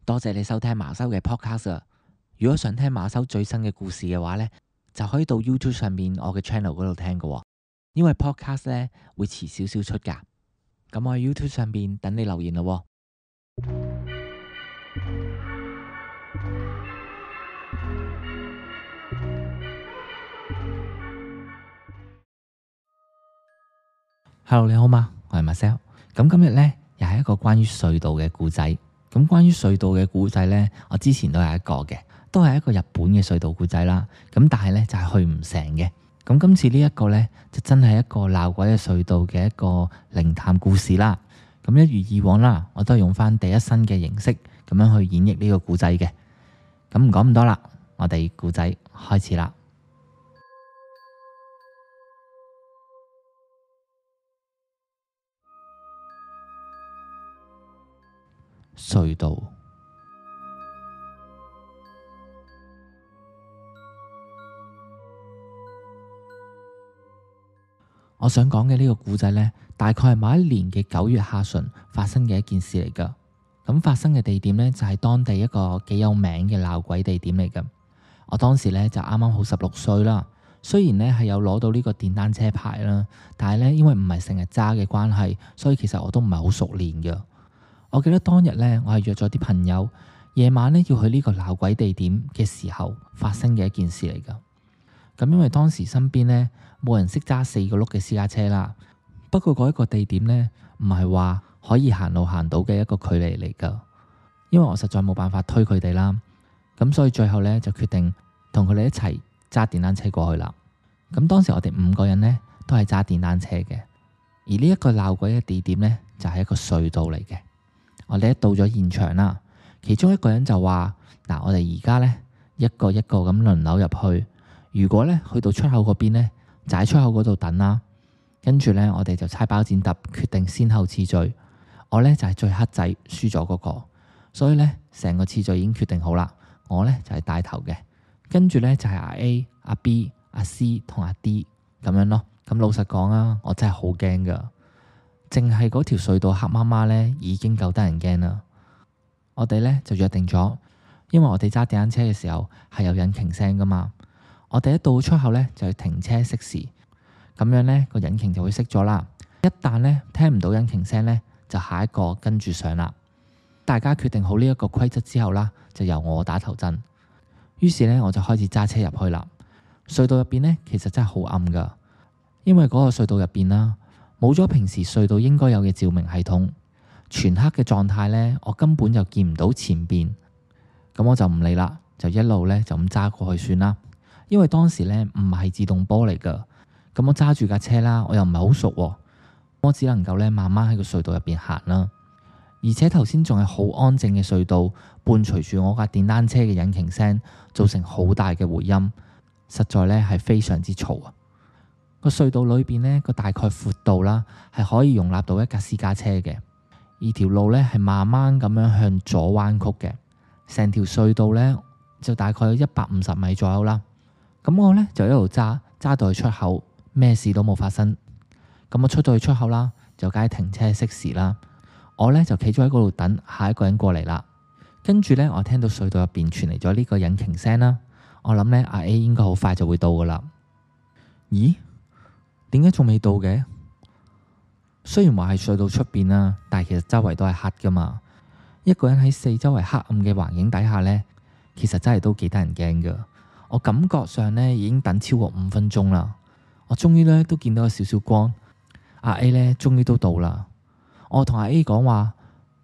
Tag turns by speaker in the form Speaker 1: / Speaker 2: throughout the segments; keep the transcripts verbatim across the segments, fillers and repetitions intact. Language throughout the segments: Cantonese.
Speaker 1: 多謝你收聽馬修嘅 podcast 啊！如果想聽馬修最新嘅故事嘅話呢，就可以到 YouTube 上面我嘅 channel 嗰度聽㗎喎。因為 podcast 呢會遲少少出㗎。咁我喺 YouTube 上面等你留言咯喎。Hello， 你好嗎？我係 Marcel。咁今日呢，又係一個關於隧道嘅故仔。咁關於隧道嘅故仔呢，我之前都有一個嘅，都係一個日本嘅隧道故仔啦。咁但係呢，就係去唔成嘅。咁今次呢一個呢，就真係一個鬧鬼嘅隧道嘅一個靈探故事啦。咁一如以往啦，我都係用翻第一身嘅形式咁樣去演繹呢個故仔嘅。咁唔講咁多啦，我哋故仔開始啦。隧道。我想講嘅呢個故仔呢，大概係某一年嘅九月下旬發生嘅一件事嚟噶。咁發生嘅地點呢，就係當地一個幾有名嘅鬧鬼地點嚟噶。我當時呢，就啱啱好十六歲啦，雖然呢係有攞到呢個電單車牌啦，但係呢，因為唔係成日揸嘅關係，所以其實我都唔係好熟練噶。我記得當日呢，我係約咗啲朋友，夜晚呢要去呢個鬧鬼地點嘅時候發生嘅一件事嚟噶。咁因為當時身邊呢冇人識揸四個轆嘅私家車啦，不過嗰一個地點呢唔係話可以行路行到嘅一個距離嚟噶，因為我實在冇辦法推佢哋啦，咁所以最後呢就決定同佢哋一齊揸電單車過去啦。咁當時我哋五個人呢都係揸電單車嘅，而呢一個鬧鬼嘅地點呢就係一個隧道嚟嘅。我哋一到咗現場啦，其中一個人就話：嗱，我哋而家呢一個一個咁輪流入去，如果呢去到出口嗰邊呢，就喺出口嗰度等啦。跟住呢，我哋就猜包剪揼，決定先後次序。我呢就係最黑仔，輸咗嗰個，所以呢，成個次序已經決定好啦。我呢就係帶頭嘅，跟住呢就係阿 A、阿 B、阿 C 同阿 D 咁樣咯。咁老實講啊，我真係好驚噶。淨係嗰條隧道黑媽媽呢已經夠得人驚啦。我哋呢就約定咗，因為我哋揸電單車嘅時候係有引擎聲噶嘛。我哋一到出口呢就要停車熄匙，咁樣呢個引擎就會熄咗啦。一旦呢聽唔到引擎聲呢，就下一個跟住上啦。大家決定好呢一個規則之後啦，就由我打頭陣。於是呢，我就開始揸車入去啦。隧道入邊呢，其實真係好暗噶，因為嗰個隧道入邊啦，冇咗平時隧道應該有嘅照明系統，全黑嘅狀態呢，我根本就見唔到前邊。咁我就唔理啦，就一路呢就咁揸過去算啦。因為當時呢唔係自動波嚟噶，咁我揸住架車啦，我又唔係好熟喎，我只能夠呢慢慢喺個隧道入邊行啦。而且頭先仲係好安靜嘅隧道，伴隨住我架電單車嘅引擎聲，造成好大嘅回音，實在呢係非常之嘈啊！個隧道裏邊呢個大概闊度啦，係可以容納到一架私家車嘅。而條路呢係慢慢咁樣向左彎曲嘅，成條隧道呢就大概有一百五十米左右啦。咁我呢就一路揸揸到去出口，咩事都冇發生。咁我出到去出口啦，就梗係停車熄匙啦。我呢就企咗喺嗰度等下一個人過嚟啦。跟住呢，我聽到隧道入邊傳嚟咗呢個引擎聲啦。我諗呢，阿 A 應該好快就會到噶啦。咦？點解仲未到嘅？雖然話係隧道出邊啦，但係其實周圍都係黑噶嘛。一個人喺四周圍黑暗嘅環境底下呢，其實真係都幾得人驚噶。我感覺上呢已經等超過五分鐘啦。我終於呢都見到有少少光。阿 A 呢終於都到啦。我同阿 A 講話：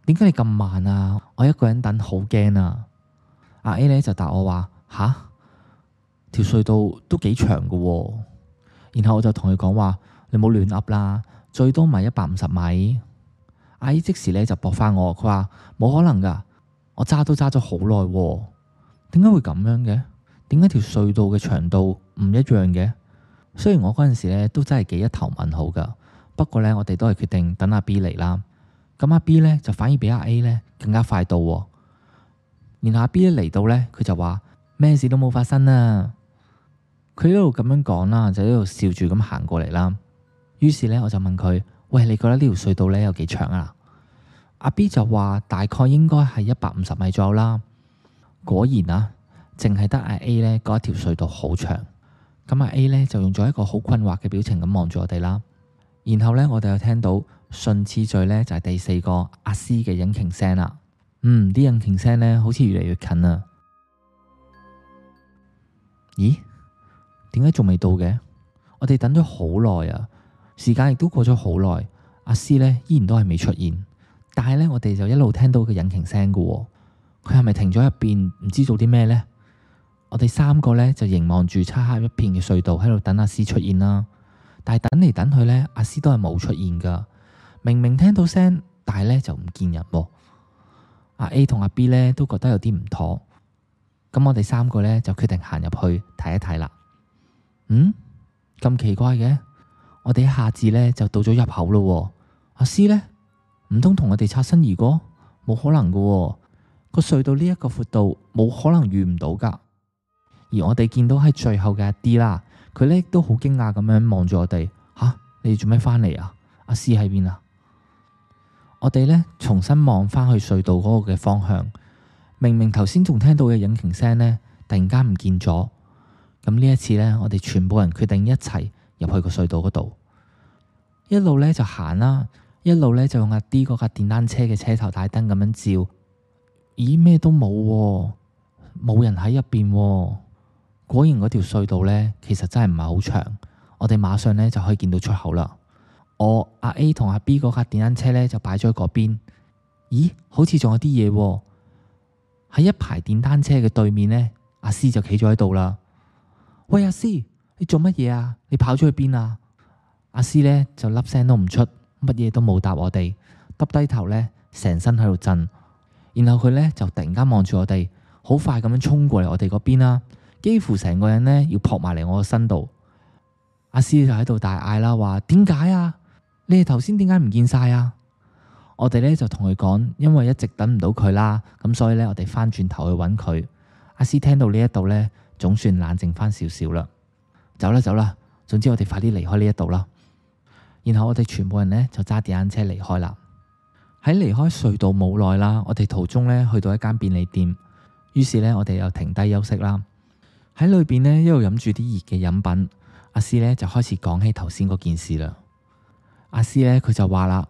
Speaker 1: 點解你咁慢啊？我一個人等好驚啊！阿 A 呢就答我話：吓，條隧道都幾長噶喎。然後我就同佢講話：你冇亂噏啦，最多咪一百五十米。阿 A 即時咧就駁翻我，佢話冇可能噶，我揸都揸咗好耐，點解會咁樣嘅？點解條隧道嘅長度唔一樣嘅？雖然我嗰陣時咧都真係幾一頭問號噶，不過咧我哋都係決定等阿 B 嚟啦。咁阿 B 咧就反而比阿 A 咧更加快到，然後阿 B 一嚟到咧，佢就話咩事都冇發生啊。佢一路咁樣講啦，就一路笑住咁行過嚟啦。於是咧，我就問佢：喂，你覺得呢條隧道咧有幾長啊？阿 B 就話大概應該係一百五十米左右啦。果然啊，淨係得阿 A 呢嗰一條隧道好長。咁阿 A 呢就用咗一個好困惑嘅表情咁望住我哋啦。然後呢，我哋又聽到順次序呢就係第四個阿 C 嘅引擎聲啦。嗯，啲引擎聲呢好似越嚟越近啊。咦？點解仲未到嘅？我哋等咗好耐啊，時間亦都過咗好耐，阿 C 呢依然都係未出現。但係呢，我哋就一路聽到個引擎聲噶喎。佢係咪停咗入邊唔知做啲咩呢？我哋三個呢就凝望住漆黑一片嘅隧道喺度等阿 C 出現啦。但係等嚟等去呢，阿 C 都係冇出現噶。明明聽到聲，但係呢就唔見人喎。阿 A 同阿 B 呢都覺得有啲唔妥。咁我哋三個呢就決定行入去睇一睇啦。嗯，咁奇怪嘅，我哋一下子呢就到咗入口咯。阿 C 呢，唔通同我哋擦身而過？冇可能噶喎，個隧道呢一個闊度冇可能遇唔到噶。而我哋見到喺最後嘅阿 D 啦，佢呢都好驚訝咁樣望住我哋。吓，你哋做咩返嚟啊？阿 C 喺邊啊？我哋呢重新望返去隧道嗰個嘅方向，明明頭先仲聽到嘅引擎聲呢，突然間唔見咗。咁呢一次呢，我哋全部人決定一齊入去個隧道嗰度，一路呢就行啦，一路呢就用阿 D 嗰架電單車嘅車頭大燈咁樣照。咦，咩都冇喎，冇人喺入邊喎。果然嗰條隧道呢，其實真係唔係好長，我哋馬上呢就可以見到出口啦。我阿 A 同阿 B 嗰架電單車呢，就擺咗喺嗰邊。咦，好似仲有啲嘢喎。喺一排電單車嘅對面呢，阿 C 就企咗喺度啦。喂，阿 C，你做乜嘢啊？你跑咗去邊啊？阿 C 呢就粒聲都唔出，乜嘢都冇答我哋，耷低頭呢，成身喺度震。然後佢呢就突然間望住我哋，好快咁樣衝過嚟我哋嗰邊啦。幾乎成個人呢要撲埋嚟我個身度。阿 C 就喺度大嗌啦，話點解啊？你哋頭先點解唔見晒啊？我哋呢就同佢講，因為一直等唔到佢啦，咁所以呢，我哋翻轉頭去揾佢。阿 C 聽到呢一度呢，總算冷靜翻少少啦。走啦走啦，總之我哋快啲離開呢一度啦。然後我哋全部人呢就揸電單車離開啦。喺離開隧道冇耐啦，我哋途中呢去到一間便利店，於是呢，我哋又停低休息啦。喺裏邊呢，一路飲住啲熱嘅飲品，阿 C 呢就開始講起頭先嗰件事啦。阿 C 呢，佢就話啦：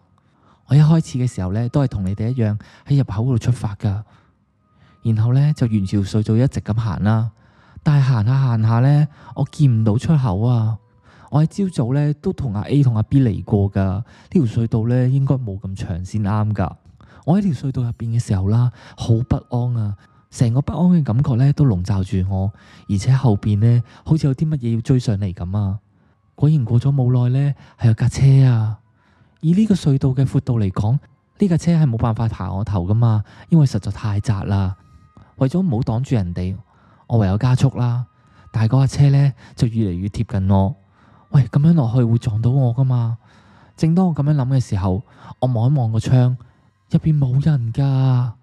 Speaker 1: 我一開始嘅時候呢，都係同你哋一樣喺入口嗰度出發噶，然後呢，就沿住隧道一直咁行啦。但係行下行下呢，我見唔到出口啊！我喺朝早呢都同阿 A 同阿 B 嚟過噶，呢條隧道呢應該冇咁長先啱噶。我喺條隧道入邊嘅時候啦，好不安啊！成個不安嘅感覺呢都籠罩住我，而且後邊呢好似有啲乜嘢要追上嚟咁啊！果然過咗冇耐呢，係有架車啊！以呢個隧道嘅闊度嚟講，呢架車係冇辦法爬我頭噶嘛，因為實在太窄啦。為咗唔好擋住人哋，我唯有加速啦。但係嗰架車呢就越嚟越貼近我。喂，咁樣落去會撞到我噶嘛？正當我咁樣諗嘅時候，我望一望個窗，入邊冇人噶，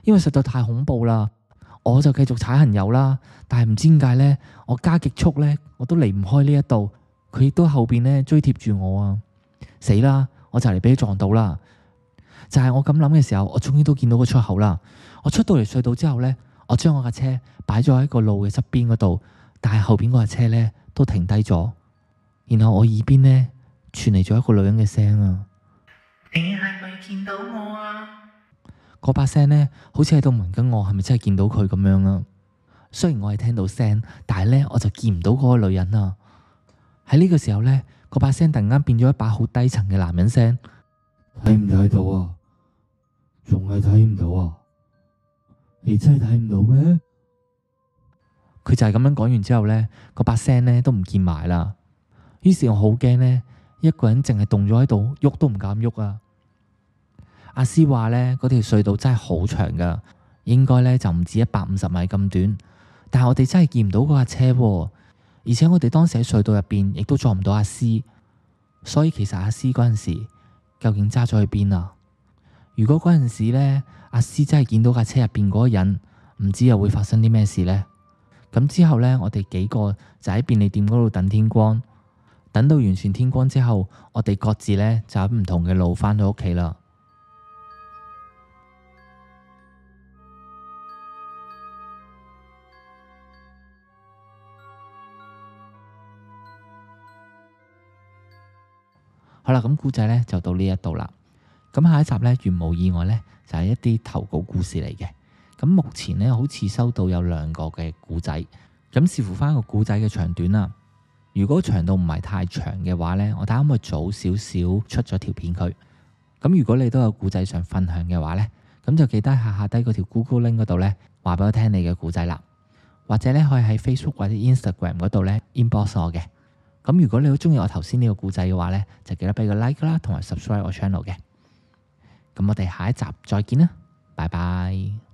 Speaker 1: 因為實在太恐怖啦。我就繼續踩行油啦，但係唔知點解呢，我加極速呢，我都離唔開呢一度，佢亦都後邊呢追貼住我啊！死啦！我就嚟俾佢撞到啦！就係我咁諗嘅時候，我終於都見到個出口啦。我出到嚟隧道之後呢，我將我架車擺咗喺個路嘅側邊嗰度，但係後邊嗰架車呢都停低咗。然後我耳邊呢傳嚟咗一個女人嘅聲啊！你係咪見到我啊？嗰把聲呢好似喺度問緊我係咪真係見到佢咁樣啊？雖然我係聽到聲，但係呢我就見唔到嗰個女人啊！喺呢個時候呢，嗰把聲突然間變咗一把好低沉嘅男人聲。睇唔睇到啊？仲係睇唔到啊？你真係睇唔到咩？佢就係咁樣講完之後呢，嗰把聲呢都唔見埋啦。於是我好驚呢，一個人淨係凍咗喺度，喐都唔敢喐啊！阿 C 話呢，嗰條隧道真係好長噶，應該呢就唔止一百五十米咁短。但係我哋真係見唔到嗰架車喎，而且我哋當時喺隧道入邊亦都撞唔到阿 C，所以其實阿 C 嗰陣時究竟揸咗去邊啊？如果嗰陣時呢，阿 C 真係見到架車入邊嗰個人，唔知又會發生啲咩事呢？咁之後呢，我哋幾個就喺便利店嗰度等天光，等到完全天光之後，我哋各自呢就喺唔同嘅路返到屋企啦。好啦，咁故仔呢就到呢一度啦。咁下一集呢，如無意外呢，就係一啲投稿故事嚟嘅。咁目前呢，好似收到有兩個嘅故仔，咁視乎翻個故仔嘅長短啦。如果長度唔係太長嘅話呢，我睇下可唔可以早少少出咗條片佢。咁如果你都有故仔想分享嘅話呢，咁就記得下下低嗰條 Google Link 嗰度呢，話俾我聽你嘅故仔啦。或者呢，可以喺 Facebook 或者 Instagram 嗰度呢 inbox 我嘅。咁如果你好中意我頭先呢個故仔嘅話呢，就記得俾個 like 啦，同埋 subscribe 我 channel 嘅。咁我哋下一集再見啦，拜拜。